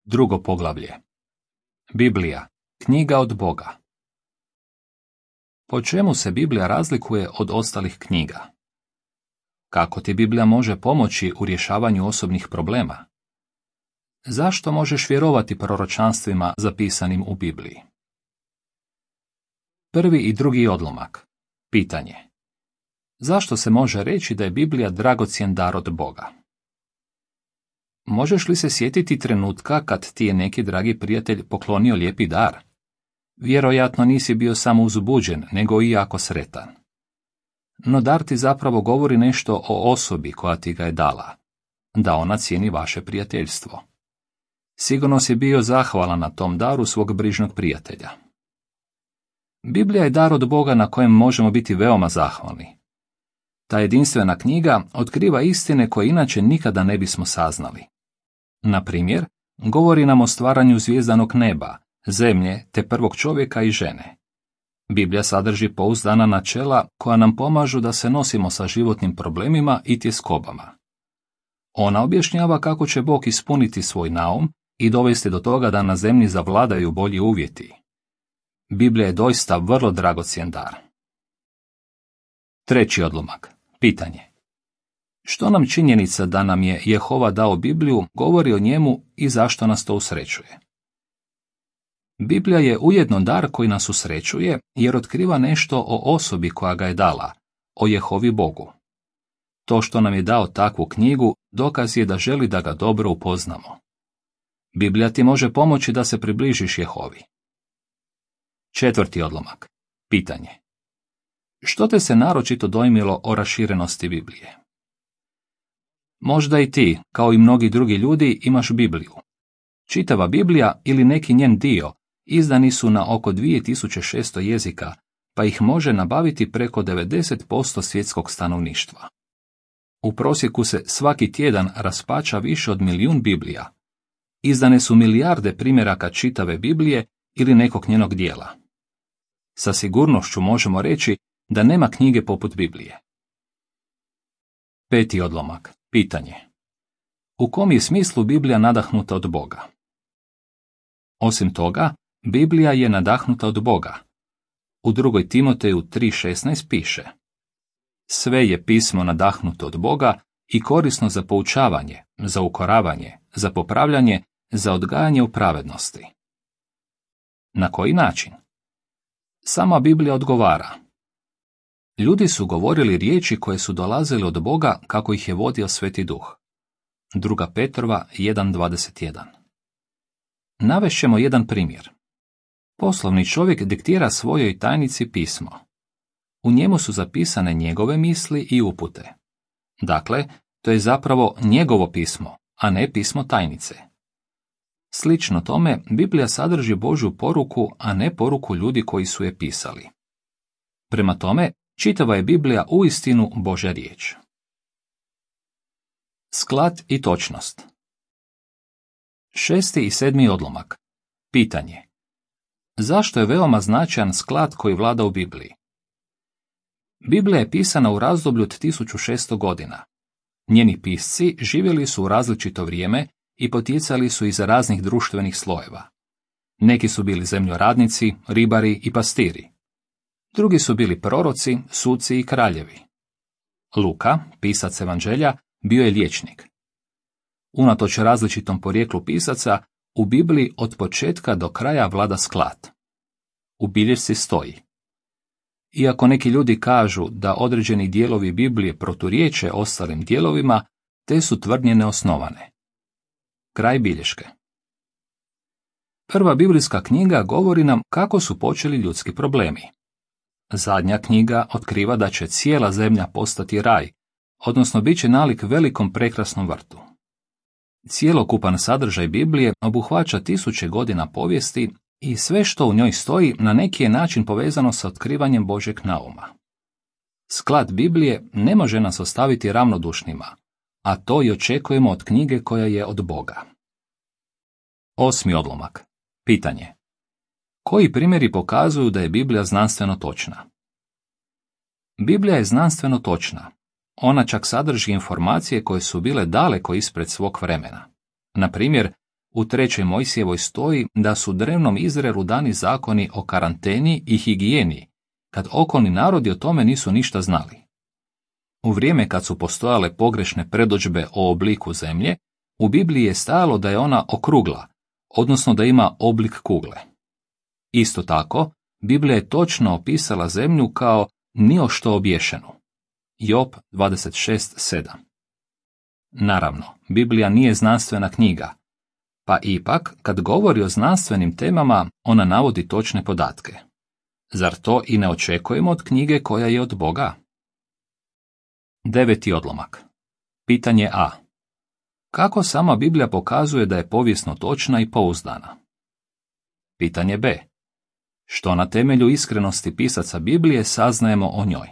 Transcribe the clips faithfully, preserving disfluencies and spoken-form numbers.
Drugo poglavlje. Biblija, knjiga od Boga. Po čemu se Biblija razlikuje od ostalih knjiga? Kako ti Biblija može pomoći u rješavanju osobnih problema? Zašto možeš vjerovati proročanstvima zapisanim u Bibliji? Prvi i drugi odlomak. Pitanje. Zašto se može reći da je Biblija dragocjen dar od Boga? Možeš li se sjetiti trenutka kad ti je neki dragi prijatelj poklonio lijepi dar? Vjerojatno nisi bio samo uzbuđen, nego i jako sretan. No dar ti zapravo govori nešto o osobi koja ti ga je dala, da ona cijeni vaše prijateljstvo. Sigurno si bio zahvalan na tom daru svog brižnog prijatelja. Biblija je dar od Boga na kojem možemo biti veoma zahvalni. Ta jedinstvena knjiga otkriva istine koje inače nikada ne bismo saznali. Na primjer, govori nam o stvaranju zvijezdanog neba, zemlje te prvog čovjeka i žene. Biblija sadrži pouzdana načela koja nam pomažu da se nosimo sa životnim problemima i tjeskobama. Ona objašnjava kako će Bog ispuniti svoj naum i dovesti do toga da na zemlji zavladaju bolji uvjeti. Biblija je doista vrlo dragocjen dar. Treći odlomak. Pitanje. Što nam činjenica da nam je Jehova dao Bibliju govori o njemu i zašto nas to usrećuje? Biblija je ujedno dar koji nas usrećuje jer otkriva nešto o osobi koja ga je dala, o Jehovi Bogu. To što nam je dao takvu knjigu dokaz je da želi da ga dobro upoznamo. Biblija ti može pomoći da se približiš Jehovi. Četvrti odlomak. Pitanje. Što te se naročito dojmilo o raširenosti Biblije? Možda i ti, kao i mnogi drugi ljudi, imaš Bibliju. Čitava Biblija ili neki njen dio izdani su na oko dvije tisuće šesto jezika, pa ih može nabaviti preko devedeset posto svjetskog stanovništva. U prosjeku se svaki tjedan raspača više od milijun Biblija. Izdane su milijarde primjeraka čitave Biblije ili nekog njenog dijela. Sa sigurnošću možemo reći da nema knjige poput Biblije. Peti odlomak. Pitanje. U kom je smislu Biblija nadahnuta od Boga? Osim toga, Biblija je nadahnuta od Boga. U drugoj Timoteju tri šesnaest piše: Sve je pismo nadahnuto od Boga i korisno za poučavanje, za ukoravanje, za popravljanje, za odgajanje u pravednosti. Na koji način? Sama Biblija odgovara. Ljudi su govorili riječi koje su dolazile od Boga kako ih je vodio Sveti Duh. Druga Petrova jedan dvadeset jedan. Navešćemo jedan primjer. Poslovni čovjek diktira svojoj tajnici pismo. U njemu su zapisane njegove misli i upute. Dakle, to je zapravo njegovo pismo, a ne pismo tajnice. Slično tome, Biblija sadrži Božju poruku, a ne poruku ljudi koji su je pisali. Prema tome, čitava je Biblija uistinu Božja riječ. Sklad i točnost. Šesti i sedmi odlomak. Pitanje. Zašto je veoma značajan sklad koji vlada u Bibliji? Biblija je pisana u razdoblju od tisuću šesto godina. Njeni pisci živjeli su u različito vrijeme i potjecali su iz raznih društvenih slojeva. Neki su bili zemljoradnici, ribari i pastiri. Drugi su bili proroci, suci i kraljevi. Luka, pisac evanđelja, bio je liječnik. Unatoč različitom porijeklu pisaca, u Bibliji od početka do kraja vlada sklad. U bilješci stoji: Iako neki ljudi kažu da određeni dijelovi Biblije proturječe ostalim dijelovima, te su tvrdnje neosnovane. Kraj bilješke. Prva biblijska knjiga govori nam kako su počeli ljudski problemi. Zadnja knjiga otkriva da će cijela zemlja postati raj, odnosno bit će nalik velikom prekrasnom vrtu. Cijelokupan sadržaj Biblije obuhvaća tisuće godina povijesti i sve što u njoj stoji na neki je način povezano sa otkrivanjem Božjeg nauma. Sklad Biblije ne može nas ostaviti ravnodušnima, a to i očekujemo od knjige koja je od Boga. Osmi odlomak. Pitanje. Koji primjeri pokazuju da je Biblija znanstveno točna? Biblija je znanstveno točna. Ona čak sadrži informacije koje su bile daleko ispred svog vremena. Na primjer, u trećoj Mojsijevoj stoji da su drevnom Izraelu dani zakoni o karanteni i higijeni, kad okolni narodi o tome nisu ništa znali. U vrijeme kad su postojale pogrešne predodžbe o obliku zemlje, u Bibliji je stajalo da je ona okrugla, odnosno da ima oblik kugle. Isto tako, Biblija je točno opisala zemlju kao ni o što obješenu. Job dvadeset šest sedam. Naravno, Biblija nije znanstvena knjiga, pa ipak, kad govori o znanstvenim temama, ona navodi točne podatke. Zar to i ne očekujemo od knjige koja je od Boga? Deveti odlomak. Pitanje A. Kako sama Biblija pokazuje da je povijesno točna i pouzdana? Pitanje B. Što na temelju iskrenosti pisaca Biblije saznajemo o njoj?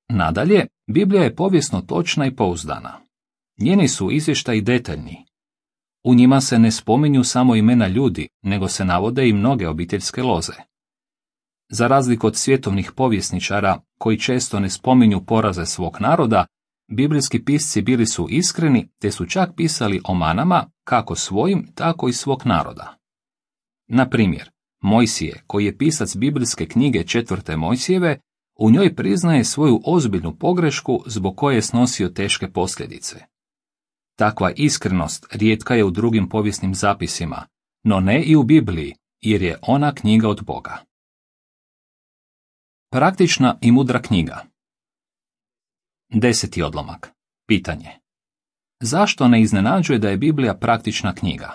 Nadalje, Biblija je povijesno točna i pouzdana. Njeni su izvještaji detaljni. U njima se ne spominju samo imena ljudi, nego se navode i mnoge obiteljske loze. Za razliku od svjetovnih povjesničara, koji često ne spominju poraze svog naroda, biblijski pisci bili su iskreni, te su čak pisali o manama, kako svojim, tako i svog naroda. Na primjer, Mojsije, koji je pisac biblijske knjige četvrte Mojsijeve, u njoj priznaje svoju ozbiljnu pogrešku zbog koje je snosio teške posljedice. Takva iskrenost rijetka je u drugim povijesnim zapisima, no ne i u Bibliji, jer je ona knjiga od Boga. Praktična i mudra knjiga. Deseti odlomak. Pitanje. Zašto ne iznenađuje da je Biblija praktična knjiga?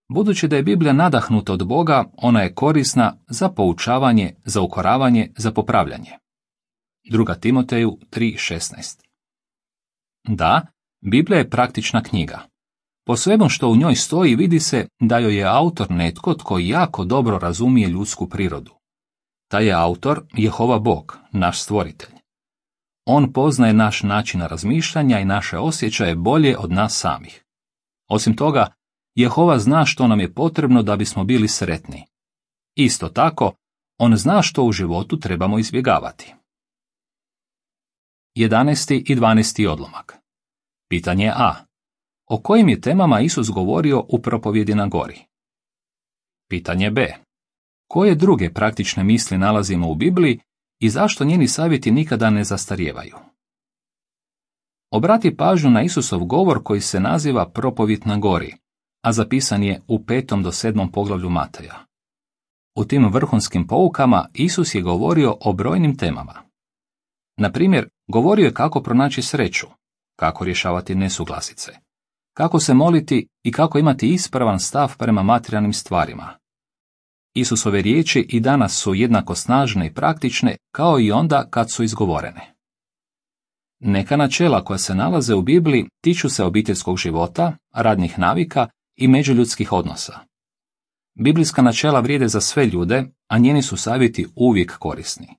Budući da je Biblija nadahnuta od Boga, ona je korisna za poučavanje, za ukoravanje, za popravljanje. Druga Timoteju tri šesnaest. Da, Biblija je praktična knjiga. Po svemu što u njoj stoji vidi se da joj je autor netko tko jako dobro razumije ljudsku prirodu. Taj je autor Jehova Bog, naš stvoritelj. On poznaje naš način razmišljanja i naše osjećaje bolje od nas samih. Osim toga, Jehova zna što nam je potrebno da bismo bili sretni. Isto tako, on zna što u životu trebamo izbjegavati. jedanaesti i dvanaesti odlomak. Pitanje A. O kojim je temama Isus govorio u propovjedi na gori? Pitanje B. Koje druge praktične misli nalazimo u Bibliji i zašto njeni savjeti nikada ne zastarijevaju? Obrati pažnju na Isusov govor koji se naziva propovjed na gori, a zapisan je u petom do sedmom poglavlju Mateja. U tim vrhunskim poukama Isus je govorio o brojnim temama. Na primjer, govorio je kako pronaći sreću, kako rješavati nesuglasice, kako se moliti i kako imati ispravan stav prema materijalnim stvarima. Isusove riječi i danas su jednako snažne i praktične kao i onda kad su izgovorene. Neka načela koja se nalaze u Bibliji tiču se obiteljskog života, radnih navika i međuljudskih odnosa. Biblijska načela vrijede za sve ljude, a njeni su savjeti uvijek korisni.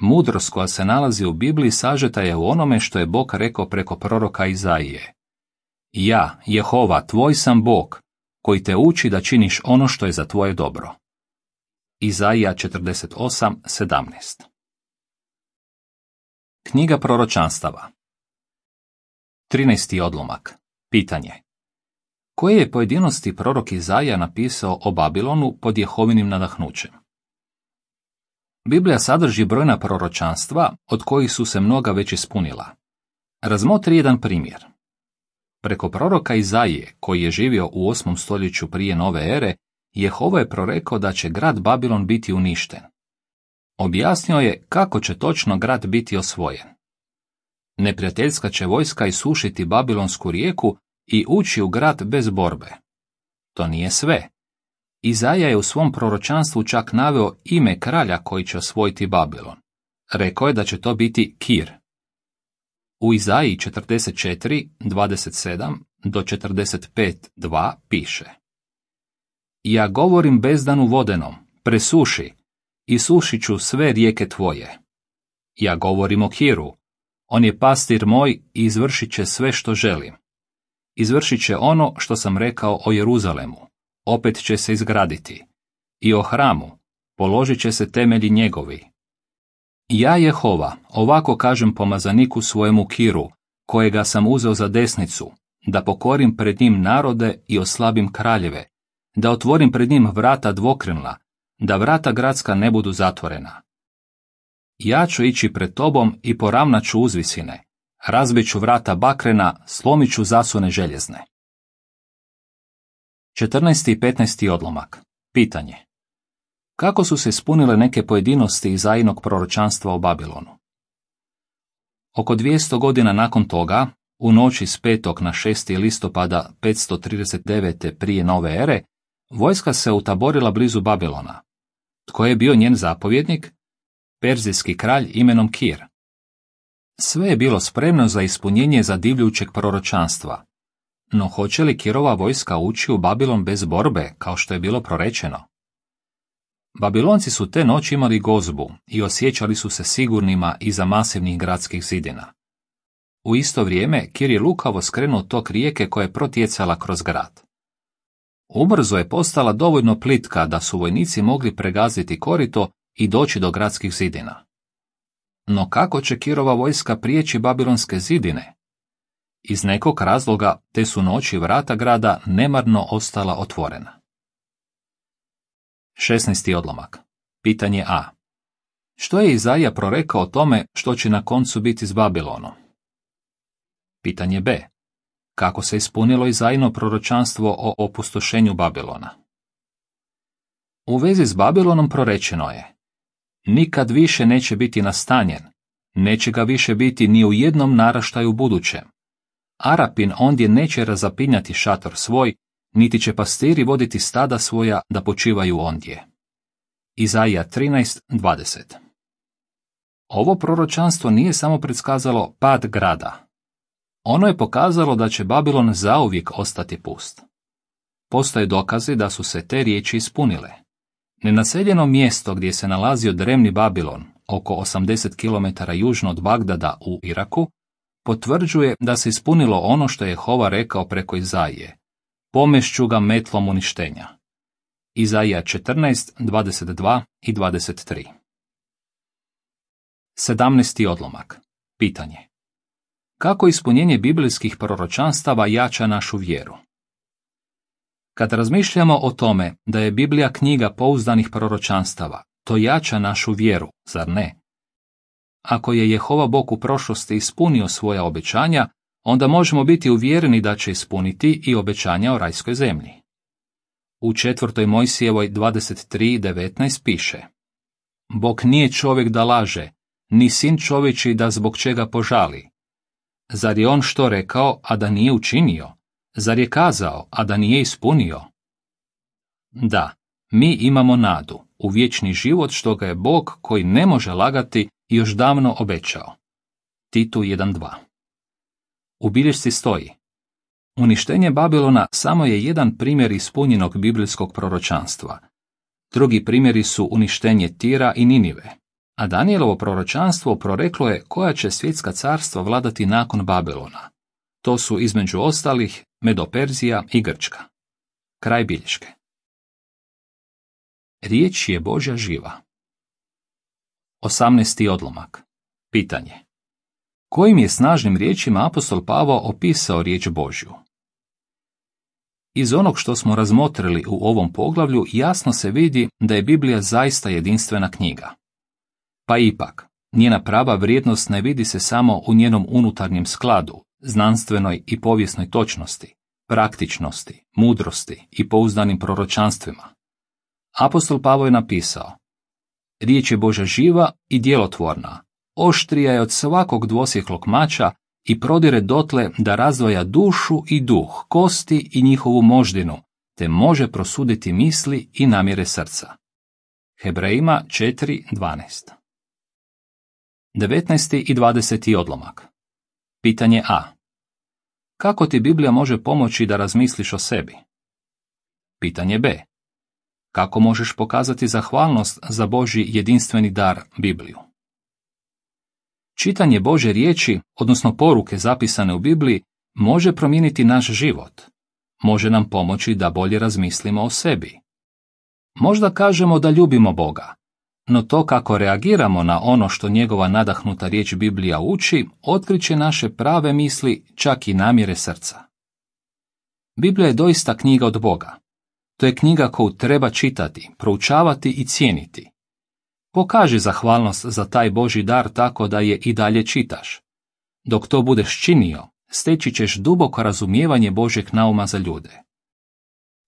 Mudrost koja se nalazi u Bibliji sažeta je u onome što je Bog rekao preko proroka Izaije. Ja, Jehova, tvoj sam Bog, koji te uči da činiš ono što je za tvoje dobro. Izaija četrdeset osam sedamnaest. Knjiga proročanstava. trinaesti odlomak. Pitanje. Koje je pojedinosti prorok Izaija napisao o Babilonu pod Jehovinim nadahnućem? Biblija sadrži brojna proročanstva, od kojih su se mnoga već ispunila. Razmotri jedan primjer. Preko proroka Izaije, koji je živio u osmom stoljeću prije nove ere, Jehova je prorekao da će grad Babilon biti uništen. Objasnio je kako će točno grad biti osvojen. Neprijateljska će vojska isušiti Babilonsku rijeku i ući u grad bez borbe. To nije sve. Izaija je u svom proročanstvu čak naveo ime kralja koji će osvojiti Babilon. Rekao je da će to biti Kir. U Izaiji četrdeset četiri, dvadeset sedam do četrdeset pet, dva piše: Ja govorim bezdanu vodenom, presuši, i sušit ću sve rijeke tvoje. Ja govorim o Kiru, on je pastir moj i izvršit će sve što želim. Izvršit će ono što sam rekao o Jeruzalemu, opet će se izgraditi. I o hramu, položit će se temelji njegovi. Ja, Jehova, ovako kažem pomazaniku svojemu Kiru, kojega sam uzeo za desnicu, da pokorim pred njim narode i oslabim kraljeve, da otvorim pred njim vrata dvokrilna, da vrata gradska ne budu zatvorena. Ja ću ići pred tobom i poravnat ću uzvisine, razbit ću vrata bakrena, slomit ću zasune željezne. četrnaesti i petnaesti odlomak. Pitanje. Kako su se ispunile neke pojedinosti Izaijinog proročanstva o Babilonu? Oko dvjesto godina nakon toga, u noći s petog na šesti listopada petsto trideset devete prije nove ere, vojska se utaborila blizu Babilona. Tko je bio njen zapovjednik? Perzijski kralj imenom Kir. Sve je bilo spremno za ispunjenje zadivljujućeg proročanstva. No hoće li Kirova vojska ući u Babilon bez borbe, kao što je bilo prorečeno? Babilonci su te noći imali gozbu i osjećali su se sigurnima iza masivnih gradskih zidina. U isto vrijeme Kir je lukavo skrenuo tok rijeke koja je protjecala kroz grad. Ubrzo je postala dovoljno plitka da su vojnici mogli pregaziti korito i doći do gradskih zidina. No kako će Kirova vojska prijeći babilonske zidine? Iz nekog razloga te su noći vrata grada nemarno ostala otvorena. šesnaesti odlomak. Pitanje A. Što je Izaija prorekao o tome što će na koncu biti s Babilonom? Pitanje B. Kako se ispunilo Izaijino proročanstvo o opustošenju Babilona? U vezi s Babilonom prorečeno je: nikad više neće biti nastanjen, neće ga više biti ni u jednom naraštaju budućem. Arapin ondje neće razapinjati šator svoj, niti će pastiri voditi stada svoja da počivaju ondje. Izaija trinaest dvadeset. Ovo proročanstvo nije samo predskazalo pad grada. Ono je pokazalo da će Babilon zauvijek ostati pust. Postoje dokazi da su se te riječi ispunile. Nenaseljeno mjesto gdje se nalazio drevni Babilon, oko osamdeset kilometara južno od Bagdada u Iraku, potvrđuje da se ispunilo ono što je Jehova rekao preko Izaije: pomešću ga metlom uništenja. Izaija četrnaest dvadeset dva i dvadeset tri. sedamnaesti odlomak. Pitanje. Kako ispunjenje biblijskih proročanstava jača našu vjeru? Kad razmišljamo o tome da je Biblija knjiga pouzdanih proročanstava, to jača našu vjeru, zar ne? Ako je Jehova Bog u prošlosti ispunio svoja obećanja, onda možemo biti uvjereni da će ispuniti i obećanja o rajskoj zemlji. U četvrtoj Mojsijevoj dvadeset tri devetnaest piše: Bog nije čovjek da laže, ni sin čovječji da zbog čega požali. Zar je on što rekao, a da nije učinio? Zar je kazao, a da nije ispunio? Da, mi imamo nadu u vječni život što ga je Bog, koji ne može lagati, još davno obećao. Titu jedan dva. U bilješci stoji: uništenje Babilona samo je jedan primjer ispunjenog biblijskog proročanstva. Drugi primjeri su uništenje Tira i Ninive, a Danijelovo proročanstvo proreklo je koja će svjetska carstva vladati nakon Babilona. To su između ostalih Medo-Perzija i Grčka. Kraj bilješke. Riječ je Božja živa. osamnaesti odlomak. Pitanje. Kojim je snažnim riječima apostol Pavao opisao riječ Božju? Iz onog što smo razmotrili u ovom poglavlju jasno se vidi da je Biblija zaista jedinstvena knjiga. Pa ipak, njena prava vrijednost ne vidi se samo u njenom unutarnjem skladu, znanstvenoj i povijesnoj točnosti, praktičnosti, mudrosti i pouzdanim proročanstvima. Apostol Pavao je napisao: riječ je Božja živa i djelotvorna, oštrija je od svakog dvosjeklog mača i prodire dotle da razdvaja dušu i duh, kosti i njihovu moždinu, te može prosuditi misli i namjere srca. Hebrejima četiri dvanaest. devetnaesti i dvadeseti odlomak. Pitanje A. Kako ti Biblija može pomoći da razmisliš o sebi? Pitanje B. Kako možeš pokazati zahvalnost za Božji jedinstveni dar Bibliju? Čitanje Božje riječi, odnosno poruke zapisane u Bibliji, može promijeniti naš život. Može nam pomoći da bolje razmislimo o sebi. Možda kažemo da ljubimo Boga, no to kako reagiramo na ono što njegova nadahnuta riječ Biblija uči, otkriće naše prave misli, čak i namjere srca. Biblija je doista knjiga od Boga. To je knjiga koju treba čitati, proučavati i cijeniti. Pokaži zahvalnost za taj Božji dar tako da je i dalje čitaš. Dok to budeš činio, steći ćeš duboko razumijevanje Božjeg nauma za ljude.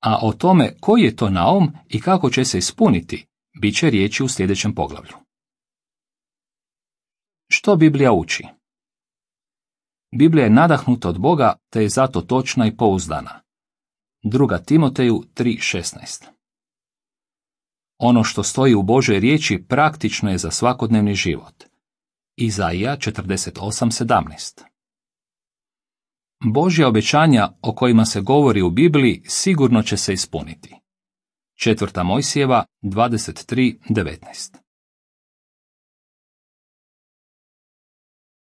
A o tome koji je to naum i kako će se ispuniti, bit će riječi u sljedećem poglavlju. Što Biblija uči? Biblija je nadahnuta od Boga, te je zato točna i pouzdana. Druga Timoteju tri šesnaest. Ono što stoji u Božoj riječi praktično je za svakodnevni život. Izaija četrdeset osam sedamnaest. Božja obećanja o kojima se govori u Bibliji sigurno će se ispuniti. Četvrta Mojsijeva dvadeset tri devetnaest.